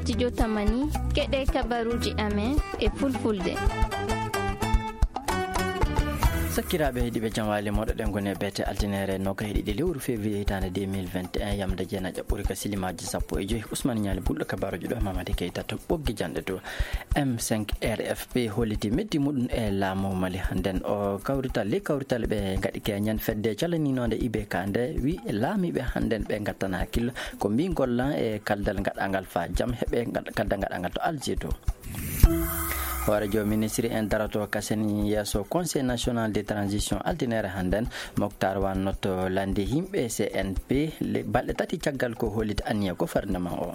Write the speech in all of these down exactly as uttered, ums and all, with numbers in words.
Studio Tamani, keɗe kabaruuji amen e fulfulde. Sakkiraaɓe heɗiiɓe, jam waali moɗo ɗen goni e beete altinere noka heɗiɗi lewru février hitaande deux mille vingt et un, yamde jeenaƴa ɓuri ka silimaaji sappo e joy. Ousmane Ñaali Bulɗo kabaruuji ɗo, Mamadi Keita to ɓoggi janɗe to. M cinq R F P holliti meddi muɗum e laamu Mali hannden. O kawrital, ley kawrital ɓe ngaɗi keñen fedde calaninoonde I B K nde wi laamiiɓe hannden ɓe ngattana hakkillo ko mbi gollan e kaldal ngaɗangal faa jam heɓe ngal-, kaldal ngaɗangal to Alger to. Hooreejo ministre en daroto kasen yeeso Conseil national de transition altinere hannden. Moctar Wanno to landi yimɓe C N P le-, balɗe tati caggal ko holliti anniya gouvernement o.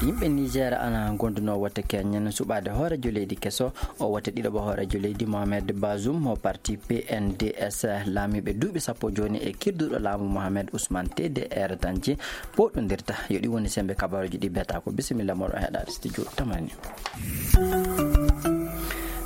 Yimɓe Niger ana gonduno wote keñen suɓaade hooreejo leydi keso o, wote ɗiɗaɓo hooreejo leydi Mohamed Bazoum mo parti P N D S. Laamiiɓe duuɓi sappo jooni e kirduɗo laamu Mohamed Ousmane T D R Tandji poɗondirta. Yo ɗi woni sembe kabaruuji ɗi beta ko. Bisimilla moɗon heɗaade studio Tamani.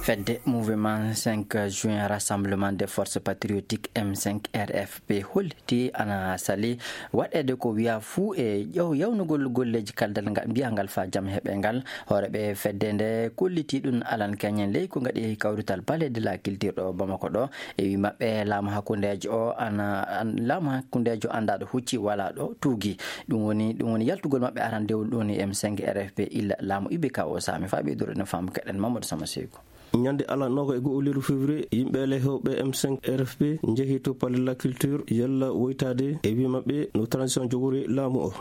Fedde Mouvement cinq juin, Rassemblement des Forces Patriotiques, M cinq R F P, holliti ana sali waɗeede ko wiya fuu e ƴeew yawnugol golleeji kaldal nga-, mbiyangal faa jam heɓe ngal. Hooreeɓe fedde nde kolliti ɗum alan keñen ley ko ngaɗi kawrital Palais de la Culture ɗo Bamako ɗo. E wi maɓɓe, laamu hakkundeejo o ana, an-, laamu hakkundeejo anndaa ɗo hucci, walaa ɗo tuugi. Ɗum woni, ɗum woni yaltugol maɓɓe arandewol ɗo ni M cinq R F P illa laamu I B K o saami. Faa ɓeydude no faamu keɗen Mamadou Sama Seyku. Ñande alarba noga e go'o lewru février, yimɓe lehewɓe M cinq R F P njehi to Palais de la Culture yalla woytaade e wi maɓɓe no transition jogori laamu o.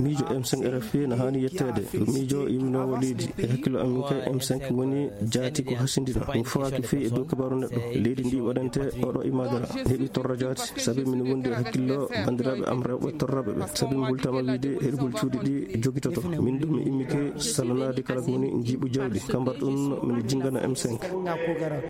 Miijo M cinq R F P na haani yetteede. Miijo yimminoowo leydi. E hakkillo am min kay, M cinq woni jaati ko hasindina. Min fawaaki fii e dow kabaaru neɗɗo. Leydi ndi waɗante oɗo imaadara. Heɓi torra jaati. Sabi min wondi e hakkillo banndiraaɓe am rewɓe torraɓe ɓe. Sabi mi hultama wiide heɗugol cuuɗi ɗi jogitoto. Min ɗum mi immike salanaade kala ko woni njiiɓu jawdi. Kambar ɗum min jingana M cinq.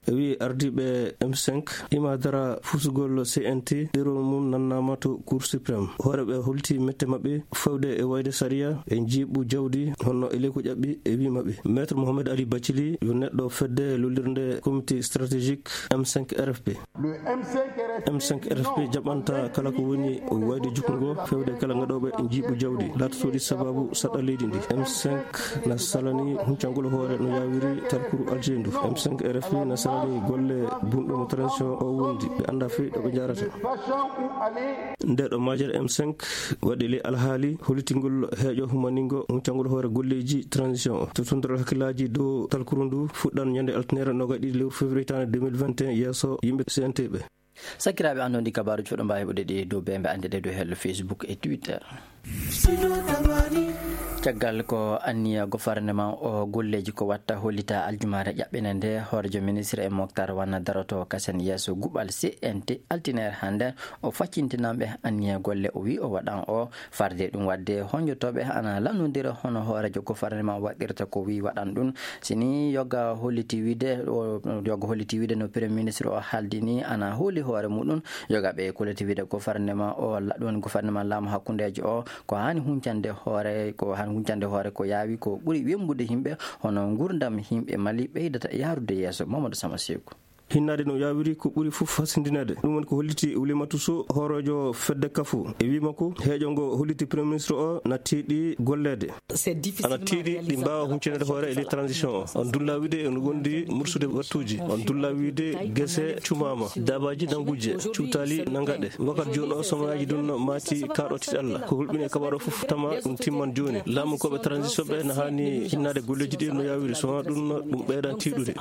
E wi ardiiɓe M cinq, imaadara fusugol C N T, ɗerol mum nannaama to Cour suprême. Hooreeɓe holti mette maɓɓe fawde e wayde sariya e njiiɓu jawdi, honno e ley ko ƴaɓɓi e wi maɓɓe. Maître Mohamed Ali Bathily yo neɗɗo fedde lollirde comité stratégique M cinq R F P. M cinq R F P jaɓanta kala ko woni wayde jukkungo fewde kala ngaɗooɓe njiiɓu jawdi laatotooɗi sababu saɗa leydi ndi. M cinq na salani huncangol hoore no yaawiri talkuru Alger ndu. M cinq R F P na salani golle bunɗo mo transition o wondi. Ɓe annda fey ɗo ɓe njarata. Nde ɗo majere M cinq waɗi ley alhaali hollitingol heeƴo humaningo huncangol hoore golleeji transition o. To tondiral hakkillaaji dow talkuru ndu fuɗɗan ñande altinere noga e ɗiɗi lewru février hitaande deux mille vingt et un yeeso yimɓe C N T ɓe. Sakkiraaɓe, anndon ɗi kabaaruuji fof ɗo mbaawi heɓude ɗi dow bee mbe anndede dow hello Facebook e Twitter. Caggal ko anniya gouvernement o golleeji ko watta hollita aljumaare ƴaɓɓine nde, hoorejo ministre e Moctar Wanna daroto kasen yeeso guɓal C N T altinere hannde. O faccintinanɓe anniya golle o wi o waɗan o. Farde ɗum waɗde, honjotooɓe ana lannondira hono hooreejo gouvernement waɗirta ko wi waɗan ɗum. Si ni yoga holliti wiide, o, yoga holliti wiide no Premier ministre o haaldi ni ana hooli hoore muɗum, yoga ɓe kolliti wiide gouvernement o, la-, ɗum woni gouvernement laamu hakkundeejo o, ko haani huncande hoore, ko haani huncande hoore ko yaawi ko ɓuri wembude yimɓe, hono nguurndam yimɓe Mali ɓeydata yaarude yeeso. Mamadou Sama Seeku. Hinnaade no yaawiri ko ɓuri fof hasindinaade. Ɗum woni ko holliti Oulimata Sow, hooreejo fedde kafu. E wii makko, heejo ngo holliti Premier ministre o na tiiɗi golleede. Ana tiiɗi ɗi mbaawa huncinaade hoore e ley transition o. On dulla wiide ene wondi mursude wattuuji. On dulla wiide gese cumaama, daabaaji nannguje, cuutaali nanngaɗe. Wakkati jooni o, somayaaji ɗum maati kaaɗo tiiɗalla. Ko hulɓini e kabaaru o fof tama ɗum timman jooni. Laamukooɓe transition ɓe na haani hinnaade golleeji ɗi no yaawiri, so wonaa ɗum, ɗum ɓeydan tiiɗude.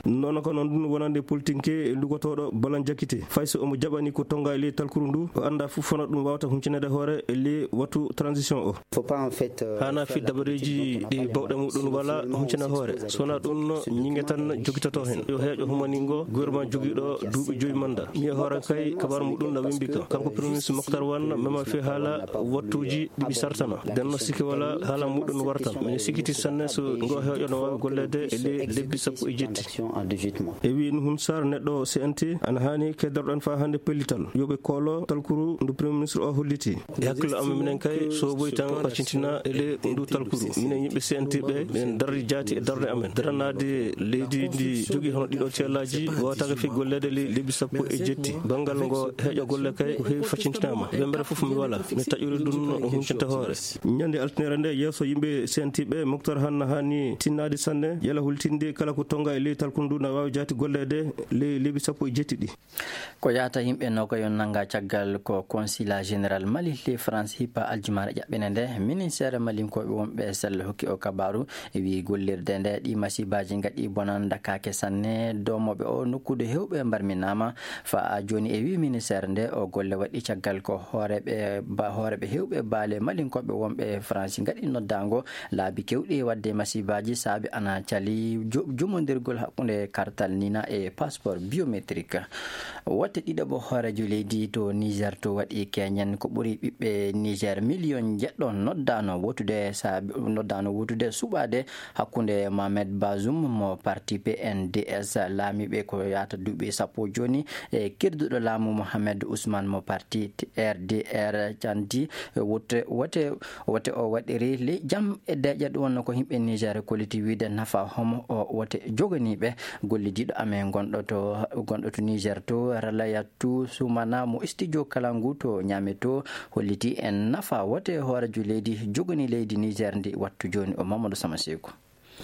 Noon ko noon ɗum wonande politique e lugotooɗo Balan Jakite. Fay so omo jaɓani ko tonnga e ley talkuru ndu, o annda fof hono ɗum waawata huncinaade hoore e ley wattu transition o. Faut pas, en fait, euh, haana fi dabareeji ɗi bawɗe muɗum wala huncina hoore. So wonaa ɗum, ñiŋe tan jogitoto heen. Yo heejo humaningo gouvernement jogiiɗo duuɓi joyi manda. Mi e hoore kay, kabaaru muɗum na wembi kam. Kanko Premier ministre Moctar Wanna mema fi haala wattuuji ɗiɗi sartana. Nden no sikke wala haala muɗum wartan. Mine sikkiti sanne so ngo heejo no waawi golleede e ley lebbi sappo e jetti. E wii Hun Sar, neɗɗo C N T, ana haani keddoreɗen faa hannde pellital, yo ɓe koolo talkuru ndu Premier Ministre o holliti. E hakkille amen minen kay, so woyi tan ɓacintina e ley ndu talkuru. Minen yimɓe C N T ɓe, minen darri jaati e darnde amen. Daranaade leydi ndi jogii hono ɗiɗo ceelaaji, waawataake fii golleede ley lebbi sappo e jetti. Banngal ngo heeƴa golle kay, ko heewi facintinaama. Wemmbere fof mi wala, mi taƴori ɗum no huncanta hoore. Ñande altine nde, yeeso yimɓe C N T ɓe, Moctar Hann haani tinnaade sanne, yala hultinde kala ko tonnga e ley talkuru ndu na waawi jaati golleede ley lebbi sappo e jetti ɗi. Ko yahata yimɓe nogayo nannga caggal ko Consulat Général Mali ley France hippa aljumaare ƴaɓɓende nde, ministeere malinkooɓe wonɓe sella hokki o kabaaru. E wii gollirde nde ɗi masibaaji ngaɗi bonan ndakaake sanne, doomooɓe o nokkude heewɓe mbarminaama. Faa jooni e wii ministeere nde o golle waɗi caggal ko hooreeɓe ba-, hooreeɓe heewɓe baale malinkooɓe wonɓe France ngaɗi noddaango laabi kewɗi wadde masibaaji saabi ana cali jo-, jumondirgol hakkunde kartal Nina e passeport biométrique. Wote ɗiɗaɓo hooreejo leydi to Niger to waɗi keñen ko ɓuri ɓiɓɓe Niger miliyon jeɗɗo noddaano wotude saabi, noddaano wotude suɓaade hakkunde Mohamed Bazoum mo parti P N D S laamiiɓe ko yahata duuɓi sappo jooni e kirduɗo laamu Mohamed Ousmane mo parti R D R canti wote, wote Wote o waɗiri ley jam e deeƴa, ɗum wonno ko yimɓe Niger kolliti wiide nafa homo o wote joganiiɓe gollidiiɗo amen gonɗo to, gonɗo to Niger to, Ralayatu Sumana mo studio Kalangu to Niamey to, holliti en nafa wote hooreejo leydi jogani leydi Niger ndi wattu jooni o Mamadou Sama Seeku.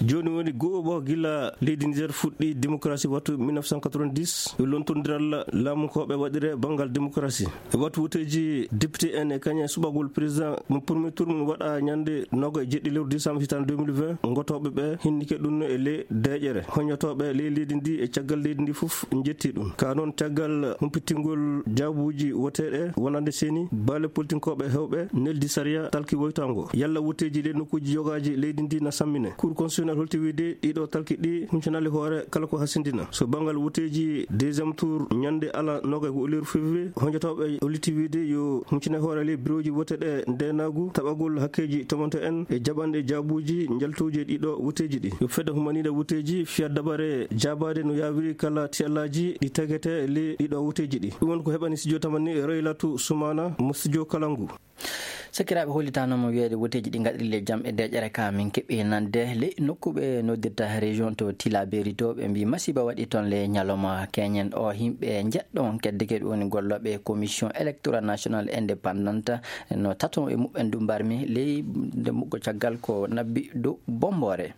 Jooni woni go'oɓo gila leydi Niger fuɗɗi démocratie wattu mille neuf cent quatre-vingt-dix, e lontondiral laamunkooɓe waɗire banngal démocratie. E wattu woteeji député en e kañum e suɓagol président mo premier tour mum waɗa ñande noga e jeɗɗi lewru décembre hitaande deux mille vingt, ngotooɓe ɓe hinnike ɗum e ley deeƴere. Hoñotooɓe ley leydi ndi e caggal leydi ndi fof njetti ɗum. Ka noon caggal humpittingol jaabuuji woteeɗe wonande seeni, baale politinkooɓe hewɓe neldi sariya talki woytango. Yalla woteeji ɗe nokkuuji yogaaji leydi ndi na sammine. Cour constitutionnel holti wiide ɗiɗo talki ɗi huncanaali hoore kala ko hasindina. So banngal woteeji deuxième tour ñande ala noga e go'o lewru février, hoñotooɓe holliti wiide yo huncine hoore ley birooji wote ɗe ndeenaagu, taɓagol hakkeeji tomonto en e jaɓanɗe jaabuuji njaltuuji e ɗiɗo woteeji ɗi. Yo fedde humaniiɗe woteeji fiya dabare jaabaade no yaawiri kala tiyallaaji ɗi tagete ley ɗiɗo woteeji ɗi. Ɗum won ko heɓani studio tamani Raylatu Sumana mo studio Kalangu. Sakiraaɓe, hollitaanoo mo wiyeede woteeji ɗi ngaɗiri ley jam e deeƴere ka min keɓi nande ley nokku ɓe noddirta région to Tilaberi to, ɓe mbii masiiba waɗi toon ley ñalawma keñen o. Yimɓe njeɗɗo on keddike ɗum woni gollooɓe Commission Électorale Nationale Indépendante no tato e muɓɓen du mbarmi ley nde muggo caggal ko nabbi dow Bombore.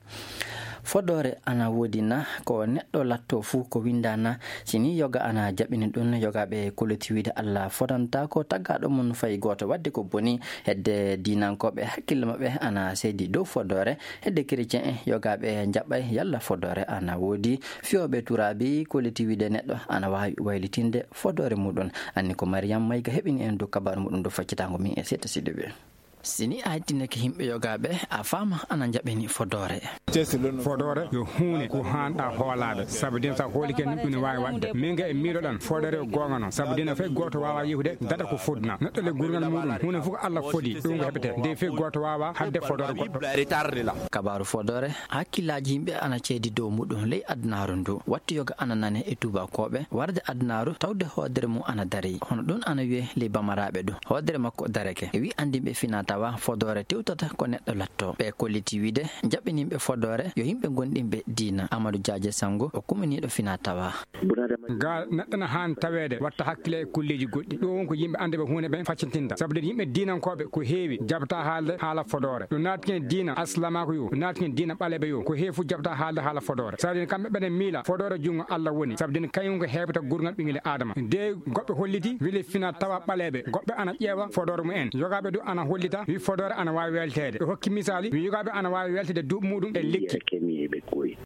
Fodoore ana woodi na? Ko neɗɗo latto fuu ko winnda na? Si ni yoga ana jaɓini ɗum, yogaaɓe koloti wiide Allah fodantaako taggaaɗo mum fay gooto. Waɗde ko boni hedde diinankooɓe hakkille maɓɓe ana seydi dow fodoore. Hedde chrétien en yogaaɓe njaɓɓay yalla fodoore ana woodi. Fiyooɓe turaabi koliti wiide neɗɗo ana waawi waylitinde fodoore muɗum. Anni ko Mariam Mayga heɓini en dow kabaaru muɗum dow faccitaango min e seeɗa siɗuɓe. Si ni a hettinake yimɓe yogaaɓe, a faama ana njaɓini fodoore. Fodoore yo huunde ko haanɗa hoolaade, sabu dina sa hoolike ni ɗum ne waawi waɗde. Min ga e miiloɗan fodoore yo goonga noon, sabu dina fay gooto waawa yehude daɗa ko fodna. Neɗɗo le gurngal muɗum, huunde fof ko Allah fodi, ɗum ko heɓete. Nde fay gooto waawa haɗde fodoore goɗɗo. Kabaaru fodoore, hakkillaaji yimɓe ana ceedi dow muɗum ley adunaaru ndu. Wattu yoga ana nane e tuubakooɓe, warde adunaaru tawde hoodere mum ana darii. Hono ɗum ana wiyee ley bamaraaɓe ɗum. Hoodere makko darake. E wi anndinɓe fina tawa fodoore tewtata ko neɗɗo latto. Ɓe kolliti wiide, jaɓɓininɓe fodoore yo yimɓe gonɗinɓe diina. Amadou Diadje Sango, o kuminiiɗo fina tawa. Ga neɗɗo na haani taweede watta hakkile e kulleeji goɗɗi. Ɗo won ko yimɓe annduɓe huunde ɓen faccintinta. Sabu den yimɓe diinankooɓe ko heewi jaɓata haalde haala fodoore. Yo naatike diina alsilaamaaku yo, yo naatike diina ɓaleeɓe yo. Ko heewi fof jaɓata haalde haala fodoore. Sabu den kamɓe ɓene miila fodoore junngo Allah woni. Sabu den kañum ko heewta gurngal ɓinngel Aadama. Nde goɗɓe holliti weli fina tawa ɓaleeɓe. Goɗɓe ana ƴeewa fodoore mumen. Yogaaɓe du ana hollita wi fodoore ana waawi welteede. Ɓe hokki misaali wi yogaaɓe ana waawi welteede duuɓi muɗum e lekki.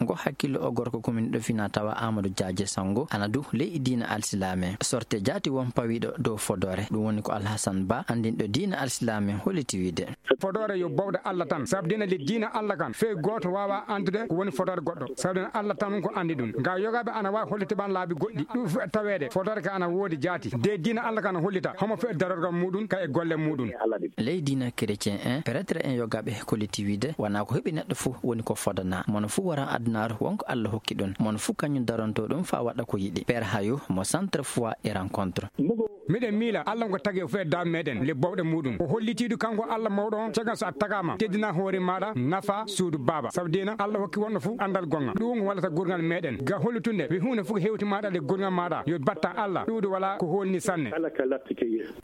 Ngo hakkillo o gorko commune ɗo fina tawa Amadou Diadje Sango ana du ley diina alsilaame. Sorte jaati won pawiɗo dow fodoore. Ɗum woni ko Alhassane Ba, anndinɗo diina alsilaame, holliti wiide. Fodoore yo bowɗe Allah tan. Sabu dina le diina Allah kan, fey gooto waawa anndude ko woni fodoore goɗɗo. Sabu dina Allah tan ko anndi ɗum. Nga yogaaɓe ana waawi hollitde ban laabi goɗɗi. Ɗum fof taweede. Fodoore ka ana woodi jaati. De diina Allah kan hollita. Homo fey darorgal muɗum, ka e golle muɗum. Ley diina Chrétien en, prêtre en, yogaaɓe kolliti wiide wonaa ko heɓi neɗɗo fuu woni ko fodana. Mono fuu wara adunaaru, won ko Allah hokki ɗum. Mono fuu kañum daronto ɗum faa waɗa ko yiɗi. Père Hayo mo Centre Foi et Rencontre. Miɗen miila Allah ngo tagi o fee daaɓe meɗen le bowɗe muɗum. O hollitiidu kanko Allah mawɗo on, caggal so a tagaama, teddina hoore maɗa, nafa suudu baaba. Sabu dina Allah hokki wonɗo fuu andal gonga. Ɗum wallata gurngal meɗen. Ga hollitunde, wi huunde fuu ko hewti maɗa le gurngal maɗa. Yo batta Allah, ɗuuɗo wala ko holni sanne.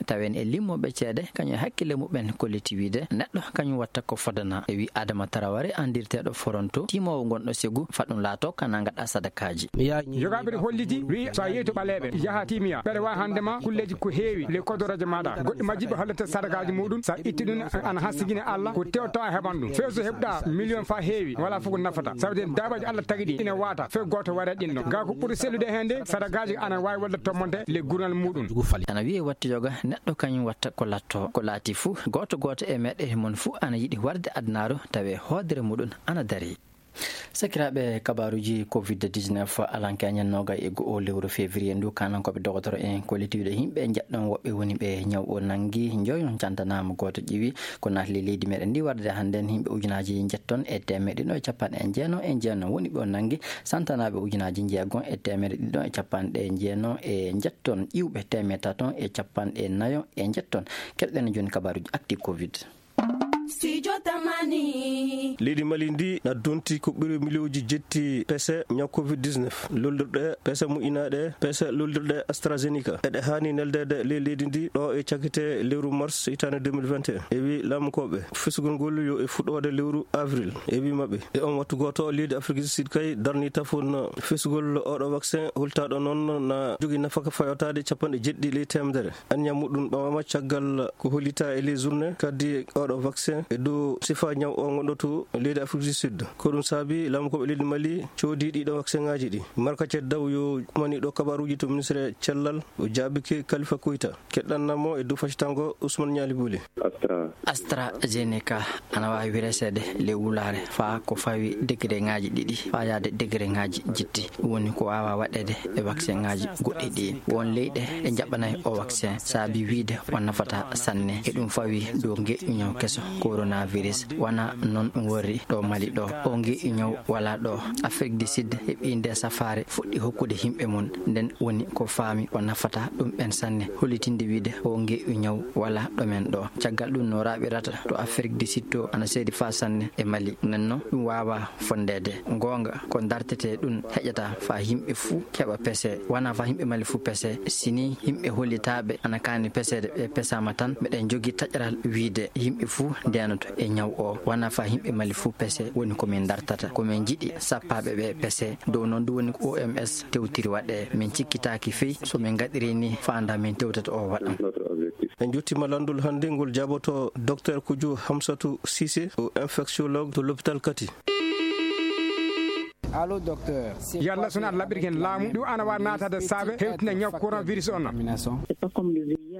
Tawen e limmoɓe ceede, kañum e hakkille muɓɓen kolliti wiide, neɗɗo kañum watta ko fodana. E wi Adama Taraware, andirteeɗo Foronto, timowo gonɗo Segu, faɗum laato kana gaɗa sadakaaji. Yogaaɓe ɗo holliti, wi so a yehi to ɓaleeɓe, yaha timiya, ɓeɗa wawi hande ma kulleji ko heewi, le kodoroje maɗa. Goɗɗi majji ɓe hollata sadakaaji muɗum, sa itti ɗum, ana hasigina Allah, ko tewto a heɓan ɗum. Few so heɓɗa million fa heewi, wala fof ko nafata. Sabu de daabaji Allah tagi ɗi, ina wata, few goto waɗa ɗin ɗon. Ga ko ɓuri sellude hen de, sadakaaji ana wawi wadde tommonte le gurnal muɗum. Ana wiye watta yoga, neɗɗo kañum watta ko latto, ko laati fuu, gooto gooto e meɗe mon fuu ana yiɗi warde adunaaru, tawe hoodere muɗum ana dari. Sakiraaɓe, kabaaruuji covid dix-neuf alanke añen noogay e go'o lewru février ndu, kanan ko ɓe dogotoro en kollitiiɗo yimɓe njeɗɗon woɓɓe woni ɓe ñaw o nangi, njoyon cantanaama gooto ƴiwi ko naatli leydi meɗen ndi warde hannde yimɓe ujunaaji njetton e teemeɗe ɗiɗo e capanɗe jeenayo e jeenayo woni ɓe o nangi, santanaaɓe ujunaaji njeego e teemeɗe ɗiɗo e capanɗe jeenayo e njetton, ƴiwɓe teemeɗe tato e capanɗe nayo e njetton. Keɗɗen jooni kabaaruuji acti covid. Studio Tamani. Leydi Mali ndi na donti ko ɓuri miliyonji jetti pese ñaw covid dix-neuf. Lollirɗe pese moƴƴinaaɗe, pese lollirɗe AstraZeneca. Eɗe haani neldeede ley leydi ndi ɗo e cakite lewru mars hitaande deux mille vingt et un. E wi laamukooɓe, fesugol ngol yo e fuɗɗoode lewru avril. E wi maɓɓe, e on wattu gooto, leydi Afrique du Sud kay darni tafon fesugol oɗo vaccin, holtaaɗo noon na jogii nafaka fayotaade capanɗe jeɗɗi ley teemedere. Anniya muɗum ɓamama caggal ko hollita e les journée kadi oɗo vaccin e dow sifa ñaw o gonɗo to leydi Afrique du Sud. Ko ɗum saabi laamukooɓe leydi Mali coodi ɗiɗo vaccin ngaji ɗi. Marka Ceddaw yo umani ɗo kabaruji to ministre cellal, o jaabike Kalifa Koyta. Keɗɗannamo e dow facitango Ousmane Ñaali Buli. AstraZeneca ana waawi reseede ley wulaare faa ko fawi degré ngaji ɗiɗi faa yaade degré ngaji jetti. Ɗum woni ko waawa waɗeede e vaccin ngaji goɗɗi ɗi. Won leyɗe ɗe njaɓanay o vaccin saabi wiide o nafata sanne. E ɗum fawi dow ngeƴƴu ñaw keso coronavirus. Wona noon ɗum worri ɗo Mali ɗo. O ngeƴƴu ñaw wala ɗo. Afrique du Sud heɓi nde safaare fuɗɗi hokkude yimɓe mum. Nden woni ko faami o nafata ɗum ɓen sanne. Hollitinde wiide o ngeƴƴu ñaw wala ɗo men ɗo. Caggal ɗum no raɓirata to Afrique du Sud to ana seedi faa sanne e Mali. Nden noon ɗum waawa fondeede. Goonga ko dartete ɗum heƴata faa yimɓe fuu keɓa pese. Wona faa yimɓe Mali fuu pese. Sini yimɓe hollitaaɓe ana kaani peseede ɓe pesaama tan, meɗen jogii taƴaral wiide yimɓe fuu ndenoto e ñaw o. Wona faa yimɓe Mali fuu pese woni ko min dartata. Ko min njiɗi sappaaɓe ɓe pese. Dow noon ɗum woni ko O M S tewtiri waɗe. Min cikkitaaki fey so min ngaɗiri ni faanda min tewtata o waɗan. En jottima landol hannde ngol jaaboto Docteur Kujo Hamsatou Cissé, o infectiologue to l'hôpital Kati. Allo, docteur. Yalla sona laɓirken laamu, ɗum ana wa naatade saabe hewtina ñaw coronavirus on.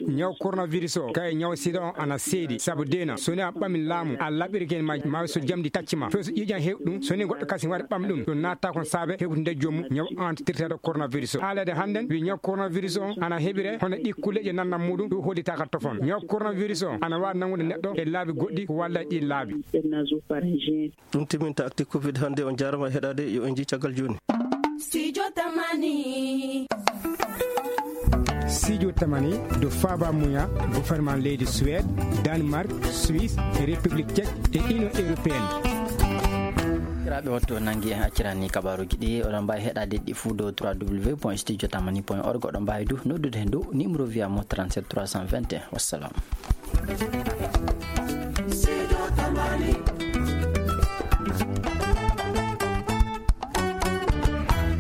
Ñaw coronavirus o, kay ñaw sida on ana seedi. Sabu dena, soni a ɓami laamu, a laɓirken ma, ma so jamdi tacci ma. Fewso ƴiiƴan hew ɗum, soni goɗɗo kasi wari ɓam ɗum, ɗum natta kon saabe hewtinde jommu ñaw antitirteɗo coronavirus o. Haalede hannden, wi ñaw coronavirus o ana heɓire, hono ɗi kulleje nannan muɗum, ɗum hollitaka tofon. Ñaw coronavirus o ana wa nangude neɗɗo e laabi goɗɗi, ko walla ɗi laabi. Ɗum timinta acti covid hannde, on jaarama heɗade, yo en jii caggal jooni. Studio Tamani. Studio Tamani, do Faba Muya, gouvernement leydi Suède, Danemark, Suisse, e République Tchèque e Union Européenne. Kiraaɓe, wattu o nangi en accirani kabaruji ɗi, oɗon mbawi heɗade ɗi fuu dow trois W point studio tamani point org, oɗon mbawi du noddude hen dow numéro via mo trente-sept trois cent vingt et un. Wassalam.